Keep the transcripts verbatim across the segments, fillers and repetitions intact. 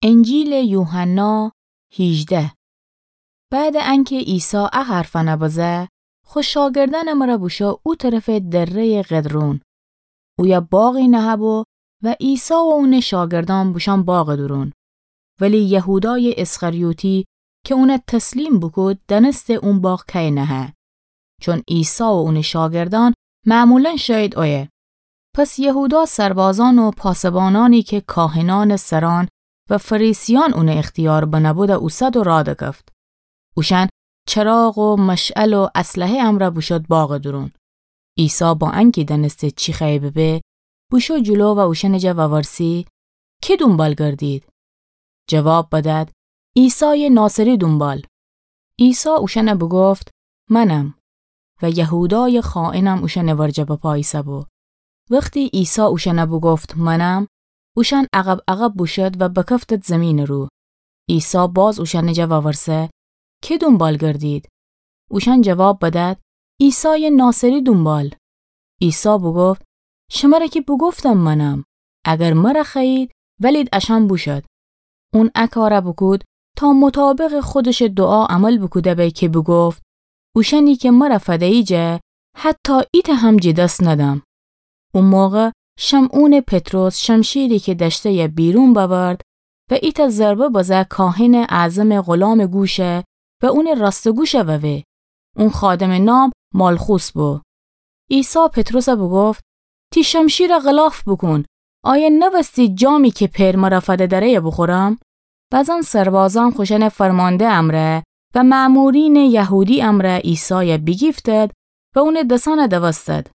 انجیلٚ یوحنا هیجده. بعدٚ انکه عیسی ا حرفأنَ بزه، خو شاگردأنٚ مرأ بوشو او طرفٚ دره‌یٚ قدرون. اویه باغی نهه‌بو و عیسی و اونٚ شاگردأن بوشأن باغٚ دورون. ولی یهودایٚ اسخریوطی کی اونَ تسلیم بوکود، دأنسته اون باغ کی نهه. چون عیسی و اونٚ شاگردأن معمولاً شأیید اویه. پس یهودا سربازأن و پاسبانأنی کی کاهنأنٚ سرأن و فریسیأن اونٚ اختیار بنه‌بودَ اوسد و راه دکفت. اوشأن چراغ و مشعل و اسلحه امرأ بوشود باغٚ دورون. عیسی با انکی دأنسته چی خوأیه ببه، بوشو جلو و اوشأنٚ جا وورسی: کی دونبال گردید؟ جواب بدأد: عیسایٚ ناصری دونبال. عیسی اوشأنَ بوگفت: منم. و یهودایٚ خائنم اوشأنٚ ورجه بپا ایسه‌بو. وختی عیسی اوشأنَ بوگفت: منم، اوشأن عقب عقب بوشود و بکفتد زیمینٚ رو. عیسی باز اوشأنٚ جا وورسه: کی دونبال گردید؟ اوشأن جواب بدأد: عیسایٚ ناصری دونبال. عیسی بوگفت: شمرَ کی بوگفتم منم، اگر مرَ خوأیید، ولید اشأن بوشود. اون ا کارَ بوکود تا مطابقٚ خودشٚ دوعا عمل بوکوده به کی بوگفت: اوشأنی کی مرَ فده‌ییجه، حتی ایتأ هم جٚه دس ندم. او موقع شمعونٚ پطرس شمشیری کی دأشته‌یه بیرون بأورد و ایتأ ضربه بزه کاهنٚ اعظمٚ غلامٚ گوشه و اونٚ راستٚ گوشَ ووه. اون خادمٚ نام مالخوس بو. عیسی پطرسَ بوگفت: تی شمشیرَ غلاف بوکون، آیا نوستی جامی کی پئر مرَ فده دأره‌یه بوخورم؟ بزن سربازأن خوشأنٚ فرمانده امرأ و مأمورینٚ یهودی امرأ عیسایَ بیگیفتد و اونٚ دسأنَ دوستد.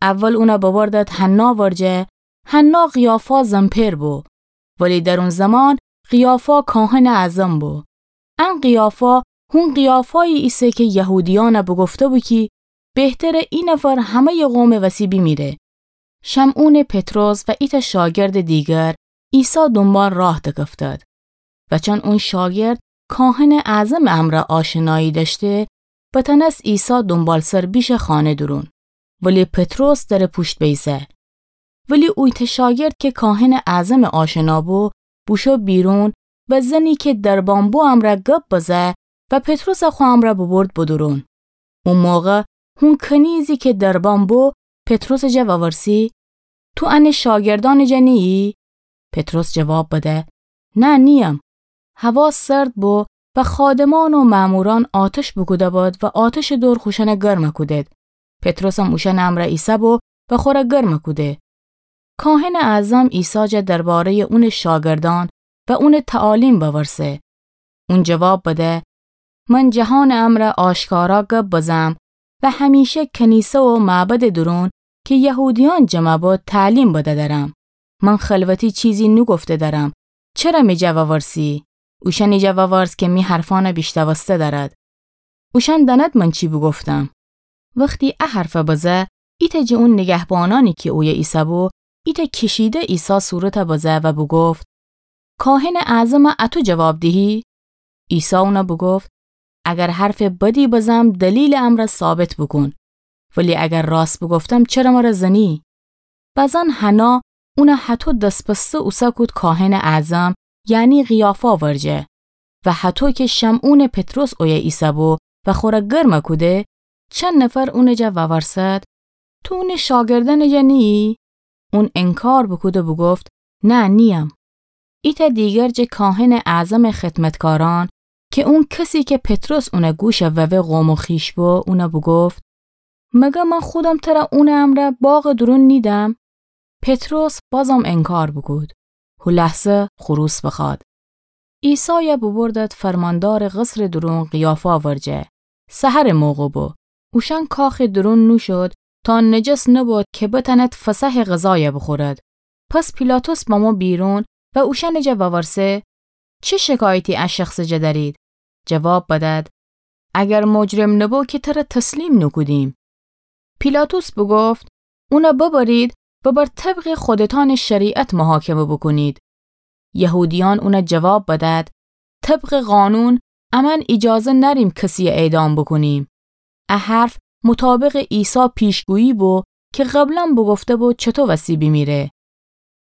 اول اونَ ببردد حنا ورجه. حنا قیافا زن‌پئر بو، ولی در اون زمان قیافا کاهنٚ اعظم بو. ان قیافا هون قیافایی ایسه کی یهودیأنَ بوگفته‌بو کی بهتره ای نفر همه‌یٚ قومٚ وسی بیمیره. شمعونٚ پطرس و ایتأ شاگردٚ دیگر عیسی دونبال راه دکفتد. و چون اون شاگرد کاهنٚ اعظمٚ امرأ آشنایی دأشته، بتأنس عیسی دونبالسر بیشه خانه دورون، ولی پطرس درٚ پوشت بیسه. ولی او ایتأ شاگرد کی کاهنٚ اعظمٚ آشنا بو، بوشو بیرون و زنی کی دربان بو امرأ گب بزه و پطرسَ خو امرأ ببرد بدورون. او موقع هون کنیزی کی دربان بو پطرسٚ جا وورسی: تو انٚ شاگردأنٚ جا نییی؟ پطرس جواب بده: نه، نییم. هوا سرد بو و خادمأن و مأمورأن آتش بوکوده‌بود و آتشٚ دور خوشأنَ گرمَ کودید. پطرسم اوشأنٚ امرأ ایسه‌بو و خوره گرمَ کوده. کاهنٚ اعظم عیسی جا درباره‌یٚ اونٚ شاگردأن و اونٚ تعالیم وورسه. اون جواب بده: من جهانٚ امرأ آشکارا گب بزم و همیشه کنیسه و معبدٚ دورون کی یهودیأن جمع بو تعلیم بده درم. من خلوتی چیزی نوگفته درم. چره می جا وورسی؟ اوشأنٚ جا وورس کی می حرفأنَ بیشنوسته دأرد. اوشأن دأند من چی بوگفتم. وختی ا حرفَ بزه، ایتأ جٚه اون نیگهبانأنی کی اویه ایسه‌بو، ایتأ کشیده عیسی صورتَ بزه و بوگفت: کاهنٚ اعظمَ اتو جواب دیهی؟ عیسی اونَ بوگفت: اگر حرفٚ بدی بزم، دلیلٚ امرأ ثابت بوکون. ولی اگر راست بوگفتم، چره مرَ زنی؟ بزن حنا اونَ هطو دس‌بسته اوسه کود کاهنٚ اعظم، یعنی قیافا ورجه. و هطو کی شمعونٚ پطرس اویه ایسه‌بو و خوره گرمَ کوده، چند نفر اونٚ جا وورسد: تو اونٚ شاگردأنٚ جا نییی؟ اون انکار بوکود و بوگفت: نه، نییم. ایتأ دیگر جٚه کاهنٚ اعظمٚ خدمتکارأن، کی اون کسی کی پطرس اونٚ گوشَ ووه قوم و خویش بو، اونَ بوگفت: مگر من خودم تره اونٚ امرأ باغٚ دورون نیدم؟ پطرس بازم انکار بوکود. هو لحظه خروس بخوأد. عیسایَ بوبردد فرماندارٚ قصرٚ دورون قیافا ورجه. سحرٚ موقع بو. اوشأن کاخٚ دورون نوشود تا نجس نبود کی بتأند فصحٚ غذایَ بوخورد. پس پیلاطس بمو بیرون و اوشأنٚ جا وورسه: چه شکایتی ا شخصٚ جا دأرید؟ جواب بدأد: اگر مجرم نبو کی تره تسلیم نوکودیم. پیلاطس بوگفت: اونَ ببرید و بر طبقٚ خودتأنٚ شریعت محاکمه بوکونید. یهودیأن اونَ جواب بدأد: طبقٚ قانون امأن ایجازه نأریم کسیَ اعدام بوکونیم. ا حرف مطابقٚ عیسی پیشگویی بو کی قبلا بوگفته‌بو چطو وسی بیمیره.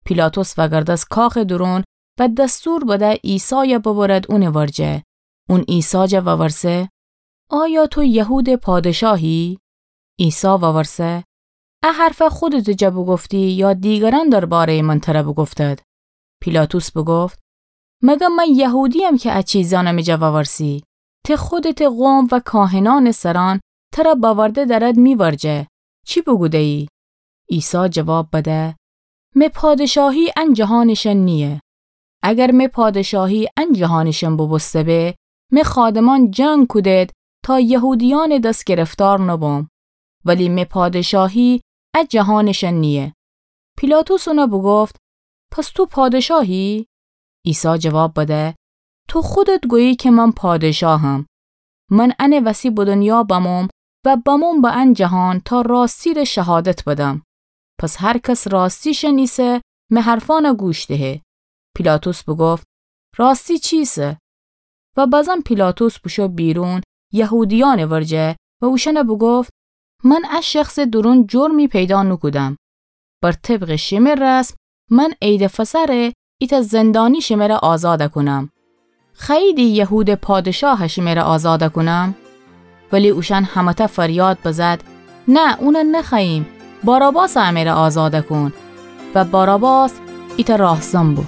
پیلاطس وأگردس کاخٚ دورون و دستور بده عیسایَ ببرد اونٚ ورجه. اون عیسی جا وورسه: آیا تو یهودٚ پادشاهی؟ عیسی وورسه: ا حرفَ خودتٚ جا بوگفتی یا دیگرأن دربارهٔ من تره بوگفتد؟ پیلاطس بوگفت: مگر من یهودی‌یم که ا چیزأنَ می جا وورسی؟ ته خودتٚ قوم و کاهنأنٚ سرأن تره بأورده درد می ورجه، چی بوگوده‌یی؟ عیسی جواب بده: می پادشاهی ان جهانٚ شن نییه. اگر می پادشاهی ان جهانٚ شن بوبوسته به، می خادمأن جنگ کودید تا یهودیأنٚ دس گرفتار نبم. ولی می پادشاهی ا جهانٚ شن نییه. پیلاطس اونَ بوگفت: پس تو پادشاهی؟ عیسی جواب بده: تو خودت گویی که من پادشاهم. من انٚ وسی به دنیا بموم و بموم به ان جهان تا راستی ره شهادت بدم. پس هر کس راستی شنیسه، می حرفأنَ گوش دهه. پیلاطس بوگفت: راستی چیسه؟ و بزن پیلاطس بوشو بیرون یهودیأنٚ ورجه و اوشأنَ بوگفت: من ا شخصٚ دورون جرمی پیدا نوکودم. بر طبقٚ شمه رسم من عیدٚ فصح ره ایتأ زندانی شمه ره آزادَ کونم. خوأییدی یهودٚ پادشاهَ شمه ره آزادَ کونم؟ ولی اوشأن همه‌تأ فریاد بزد: نه، اونَ نخوأییم، باراباسَ امه ره آزادَ کون. و باراباس ایتأ راهزن بو.